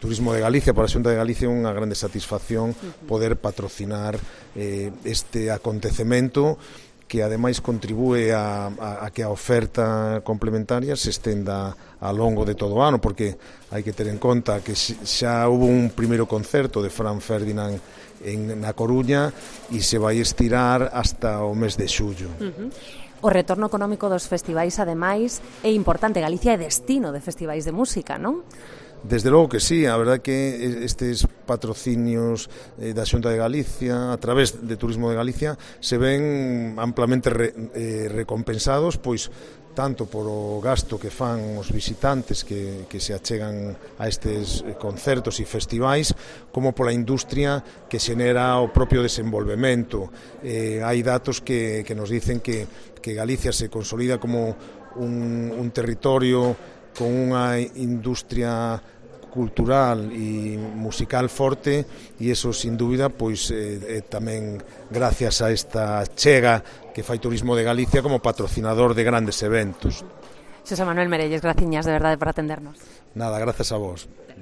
Turismo de Galicia, para a Xunta de Galicia é unha grande satisfacción poder patrocinar este acontecemento que ademais contribúe a que a oferta complementaria se estenda ao longo de todo o ano, porque hai que ter en conta que xa hubo un primeiro concerto de Fran Ferdinand na Coruña e se vai estirar hasta o mes de xullo. O retorno económico dos festivais, ademais, é importante. Galicia é destino de festivais de música, non? Desde logo que sí, a verdade que estes patrocinios da Xunta de Galicia a través de Turismo de Galicia se ven amplamente recompensados, pois tanto por o gasto que fan os visitantes que se achegan a estes concertos e festivais, como pola industria que xenera o propio desenvolvemento. Hai datos que nos dicen que Galicia se consolida como un territorio con unha industria cultural e musical forte, e iso sin dúbida pois tamén gracias a esta chega que fai Turismo de Galicia como patrocinador de grandes eventos. Xosé Manuel Merelles, graciñas de verdade por atendernos. Nada, grazas a vos.